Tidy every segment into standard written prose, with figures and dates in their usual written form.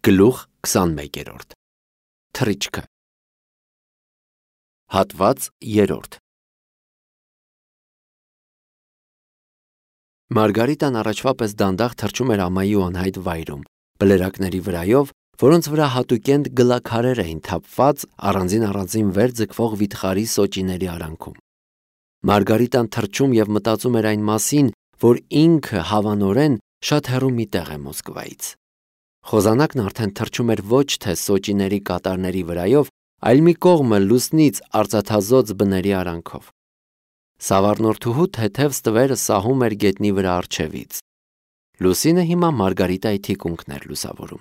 Գլուխ 21 Թռիչքը Հատված 3 Մարգարիտան առաջվա պես դանդաղ թռչում էր ամայի ու անհայտ վայրում, բլրակների վրայով, որոնց վրա հատուկենտ գլաքարեր էին թափված առանձին վեր ձգվող վիթխարի սոճիների արանքում։ Մարգարիտան թռչում և մտածում էր այն մասին, որ ինքը հավանորեն շատ հեռու մի տեղ է Մոսկվայից։ Խոզանակն արդեն թռչում էր ոչ թե սոճիների կատարների վրայով, այլ մի կողմը լուսնից արծաթազօծ բների արանքով։ Սավառնորդուհու թեթև ստվերը սահում էր գետնի վրա առջևից։ Լուսինը հիմա Մարգարիտայի թիկունքն էր լուսավորում։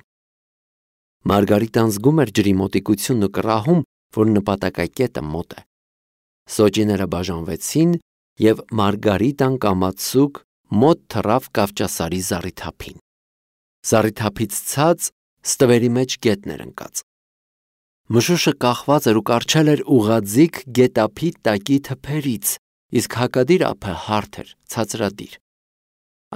Մարգարիտան զգում էր ջրի մոտիկությունն ու կռահում, որ նպատակակետը մոտ է։ Սոճիները բաժանվեցին, և Մարգարիտան կամացուկ մոտ թռավ Կավճասարի զառիթափին։ Զառիթափից ցած ստվերի մեջ գետն էր ընկած։ Մշուշը կախված էր ու կառչել էր ուղղաձիգ գետափի տակի թփերից, իսկ հակադիր ափը հարթ էր, ցածրադիր։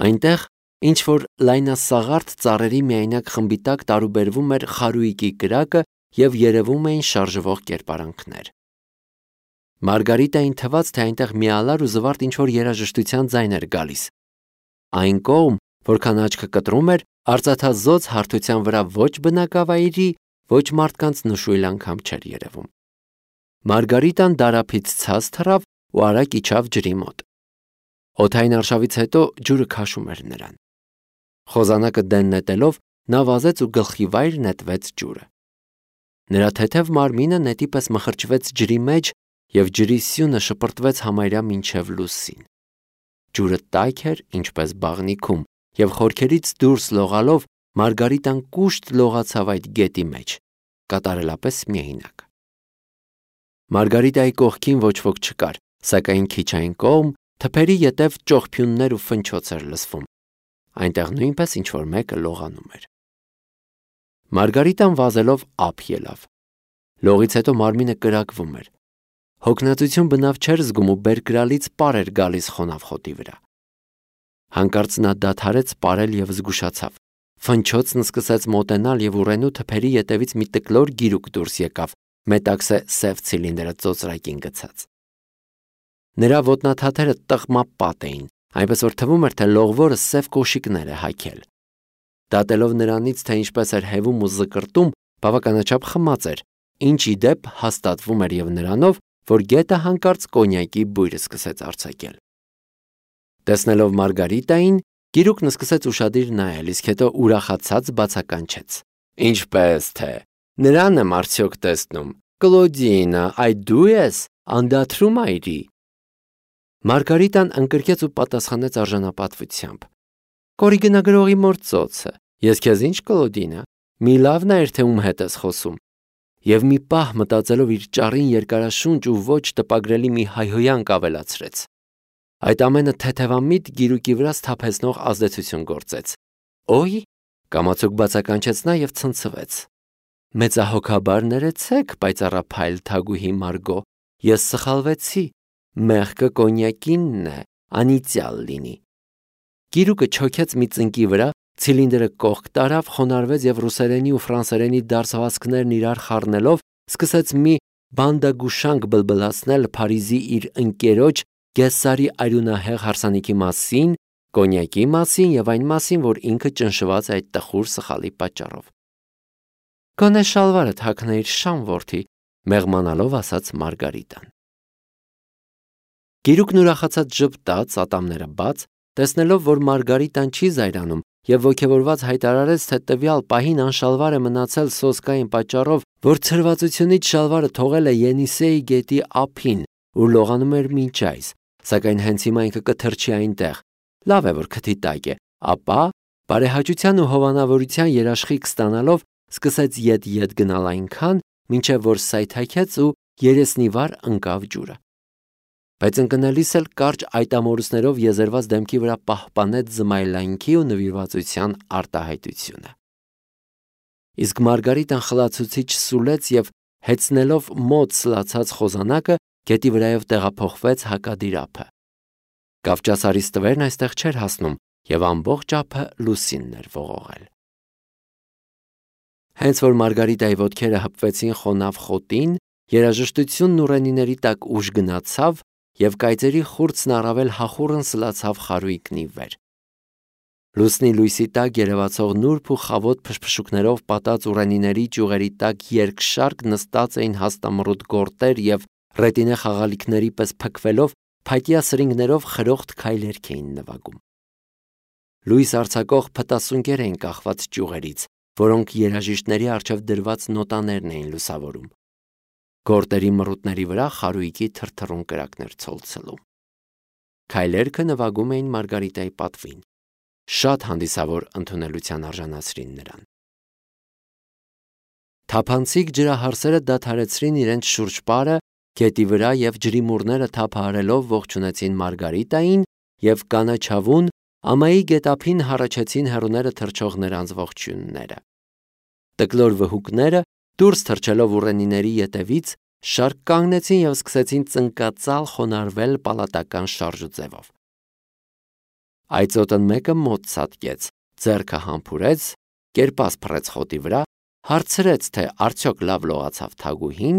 Այնտեղ ինչ-որ լայնասաղարթ ծառերի միայնակ խմբի տակ տարուբերվում էր խարույկի կրակը և երևում էին շարժվող կերպարանքներ։ Մարգարիտային թվաց, թե այնտեղ միալար ու զվարթ ինչ-որ երաժշտության ձայն էր գալիս։ Այն կողմ, որքան աչքը կտրում էր, արծաթազօծ հարթության վրա ոչ բնակավայրի, ոչ մարդկանց նշույլ անգամ չէր երևում։ Մարգարիտան դարափից ցած թռավ ու արագ իջավ ջրի մոտ։ Օդային արշավից հետո ջուրը քաշում էր նրան։ Խոզանակը դեն նետելով, նա վազեց ու գլխիվայր նետվեց ջուրը։ Նրա թեթև մարմինը նետի պես մխրճվեց ջրի մեջ, և ջրի սյունը շպրտվեց համարյա մինչև լուսին։ Ջուրը տաք էր, ինչպես բաղնիքում, և խորքերից դուրս լողալով Մարգարիտան կուշտ լողացավ այդ գետի մեջ, կատարելապես միայնակ։ Մարգարիտայի կողքին ոչ ոք չկար, սակայն քիչ այն կողմ թփերի ետև ճողփյուններ ու ֆնչոց էր լսվում։ Այնտեղ նույնպես ինչ-որ մեկը լողանում էր։ Մարգարիտան վազելով ափ ելավ։ Լողից հետո մարմինը կրակվում էր։ Հոգնածություն բնավ չէր զգում ու բերկրալից պար էր գալիս խոնավ խոտի վրա։ Հանկարծ նա դադարեց պարել և զգուշացավ։ Ֆնչոցն սկսեց մոտենալ և ուռենու թփերի ետևից մի տկլոր գիրուկ դուրս եկավ, մետաքսե սև ցիլինդրը ծոծրակին գցած։ Նրա ոտնաթաթերը տղմապատ էին, այնպես որ թվում էր, թե լողվորը սև կոշիկներ է հագել։ Դատելով նրանից, թե ինչպես էր հևում ու զկրտում, բավականաչափ խմած էր, ինչ ի դեպ հաստատվում էր և նրանով, որ գետը հանկարծ կոնյակի բույր սկսեց արձակել։ Տեսնելով Մարգարիտային, գիրուկն սկսեց ուշադիր նայել, իսկ հետո ուրախացած բացականչեց. Ինչպես թե, նրան եմ արդյոք տեսնում, Կլոդինա, այդ դու ես, անդադրու մայրի։ Մարգարիտան ընկրկեց ու պատասխանեց արժանապատվությամբ. Կորիգնագրողի մոր ծոցը, ես քեզ ինչ Կլոդինա, մի լավ նայր, թե ում հետ ես խոսում։ Եվ մի պահ մտածելով իր ճառին երկարաշունչ ու ոչ տպագրելի մի հայհոյանք ավելացրեց։ Այդ ամենը թեթևամիտ գիրուկի վրա սթափեցնող ազդեցություն գործեց։ Օй, կամացուկ բացականչեց նա և ցնցվեց։ Մեծահոգաբար ներեցեք, պայծառափայլ թագուհի Մարգո, ես սխալվեցի, մեղքը կոնյակինն է, անիծյալ լինի։ Գիրուկը չոքեց մի ծնկի վրա, ցիլինդրը կողք տարավ, խոնարհվեց և ռուսերենի ու ֆրանսերենի դարսվածքներն իրար խառնելով սկսեց մի բանդագուշանք բլբլացնել Փարիզի իր ընկերոջ Գեսսարի արյունահեղ հարսանիքի մասին, կոնյակի մասին և այն մասին, որ ինքը ճնշված է այդ տխուր սխալի պատճառով։ Գոնե շալվարդ հագնեիր, շան որդի, մեղմանալով ասաց Մարգարիտան։ Գիրուկն ուրախացած ժպտաց, ատամները բաց, տեսնելով, որ Մարգարիտան չի զայրանում, և ոգևորված հայտարարեց, թե տվյալ պահին անշալվար է մնացել սոսկային պատճառով, որ ցրվածությունից շալվարը թողել է Ենիսեի գետի ափին, ուր լողանում էր մինչ այս, սակայն հենց հիմա ինքը կթռչի այնտեղ, լավ է, որ քթի տակ է, ապա, բարեհաճության ու հովանավորության երաշխիք ստանալով, սկսեց ետ գնալ այնքան, մինչև որ սայթաքեց ու երեսնիվար ընկավ ջուրը։ Բայց ընկնելիս էլ կարճ այտամորուսներով եզերված դեմքի վրա պահպանեց զմայլանքի ու նվիրվածության արտահայտությունը։ Իսկ Մարգարիտան խլացուցիչ սուլեց և հեծնելով մոտ սլացած խոզանակը, գետի վրայով տեղափոխվեց հակադիր ափը։ Կավճասարի ստվերն այստեղ չէր հասնում, և ամբողջ ափը լուսինն էր ողողել։ Հենց որ Մարգարիտայի ոտքերը հպվեցին խոնավ խոտին, երաժշտությունն ուռենիների տակ ուժ գնացավ և կայծերի խուրձն առավել հախուռն սլացավ խարույկնի վեր։ Լուսնի լույսի տակ երևացող նուրբ ու խավոտ փշփշուկներով պատած ուռենիների ճյուղերի տակ երկշարք նստած էին հաստամռութ գորտեր և ռետինե խաղալիքների պես փքվելով փայտյա սրինգներով խրոխտ քայլերք էին նվագում։ Լույս արձակող փտասունկեր էին կախված ճյուղերից, որոնք երաժիշտների առջև դրված նոտաներն էին լուսավորում։ Գորտերի մռութների վրա խարույկի թրթռուն կրակներ ցոլցելու։ Քայլերքը նվագում էին Մարգարիտայի պատվին։ Շատ հանդիսավոր ընդունելության արժանացրին նրան։ Թափանցիկ ջրահարսերը դադարեցրին իրենց շուրջպարը գետի վրա և ջրիմուռները թափահարելով ողջունեցին Մարգարիտային և կանաչավուն ամայի գետափին հառաչեցին հեռուները թռչող նրանց ողջույնները։ Տկլոր վհուկները դուրս թռչելով ուռենիների ետևից շարք կանգնեցին և սկսեցին ծնկածալ խոնարհվել պալատական շարժուձևով։ Այծոտն մեկը մոտ ցատկեց, ձեռքը համբուրեց, կերպաս փռեց խոտի վրա, հարցրեց, թե արդյոք լավ լողացավ թագուհին,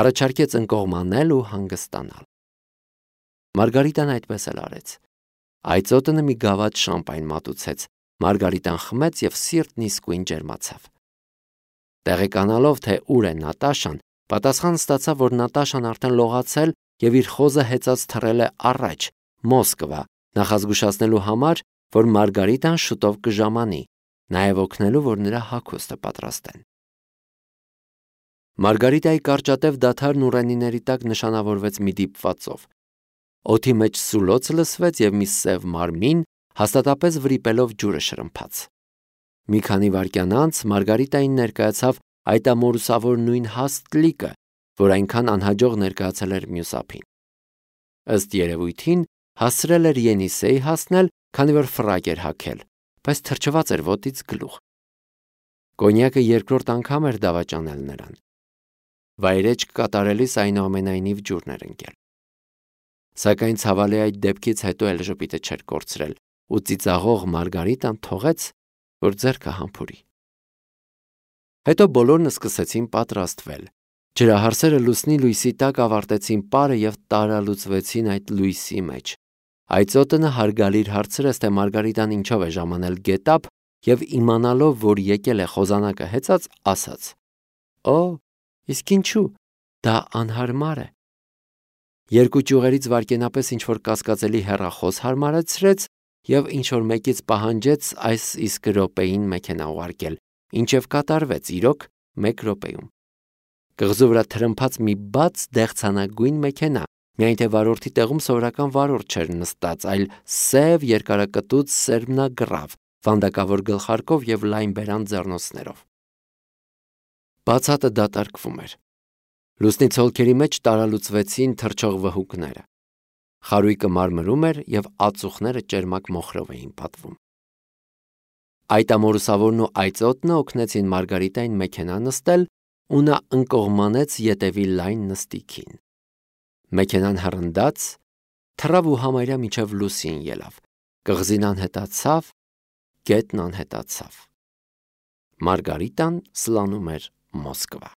առաջարկեց ընկողմանել ու հանգստանալ։ Մարգարիտան այդպես էլ արեց։ Այծոտը մի գավաթ շամպայն մատուցեց, Մարգարիտան խմեց և սիրտն իսկույն ջերմացավ։ Տեղեկանալով, թե ուր է Նատաշան, պատասխան ստացավ, որ Նատաշան արդեն լողացել և իր խոզը հեծած թռել է առաջ, Մոսկվա, նախազգուշացնելու համար, որ Մարգարիտան շուտով կժամանի, նաև օգնելու, որ նրա հագուստը պատրաստեն։ Մարգարիտայի կարճատև դադարն ուռենիների տակ նշանավորվեց մի դիպվածով։ Օդի մեջ սուլոց լսվեց և մի սև մարմին հաստատապես վրիպելով ջուրը շրմփաց։ Մի քանի վայրկյան անց Մարգարիտային ներկայացավ այտամորուսավոր նույն հաստ լիկը, որ այնքան անհաջող ներկայացել էր մյուս ափին։ Ըստ երևույթին հասցրել էր Ենիսեի հասնել, քանի որ ֆրակ էր հագել, բայց թրջված էր ոտից գլուխ։ Կոնյակը երկրորդ անգամ էր դավաճանել նրան։ Վայրեջք կատարելիս այնուամենայնիվ ջուրն էր ընկել։ Սակայն ցավալի այդ դեպքից հետո էլ ժպիտը չէր կորցրել ու ծիծաղող Մարգարիտան թողեց, որ ձեռքը համբուրի։ Հետո բոլորն սկսեցին պատրաստվել։ Ջրահարսերը լուսնի լույսի տակ ավարտեցին պարը և տարալուծվեցին այդ լույսի մեջ։ Այծոտը հարգալիր հարցրեց, թե Մարգարիտան ինչով է ժամանել գետափ և իմանալով, որ եկել է խոզանակը հեծած, ասաց. «Օ, իսկ ինչու, դա անհարմար է»։ Երկու ճյուղերից վայրկենապես ինչ-որ կասկածելի հեռախոս հարմարեցրեց և ինչ-որ մեկից պահանջեց այս իսկ րոպեին մեքենա ուղարկել, ինչև կատարվեց, իրոք, 1 րոպեում։ Կղզու վրա թրմփաց մի բաց դեղցանագույն մեքենա, միայն թե վարորդի տեղում սովորական վարորդ չէր նստած, այլ սև երկարակտուց սերմնագրավ, վանդակավոր գլխարկով և լայն բերան ձեռնոցներով։ Բացատը դատարկվում էր։ Լուսնի ցոլքերի մեջ տարալուծվեցին թռչող վհուկները։ Խարույկը մարմրում էր և ածուխները ճերմակ մոխրով էին պատվում։ Այտամորուսավորն ու այծոտն օգնեցին Մարգարիտային մեքենա նստել ու նա ընկողմանեց ետևի լայն նստիքին։ Մեքենան հռնդաց, թռավ ու համարյա մինչև լուսին ելավ։ Կղզին անհետացավ, գետն անհետացավ։ Մարգարիտան սլանում էր Մոսկվա։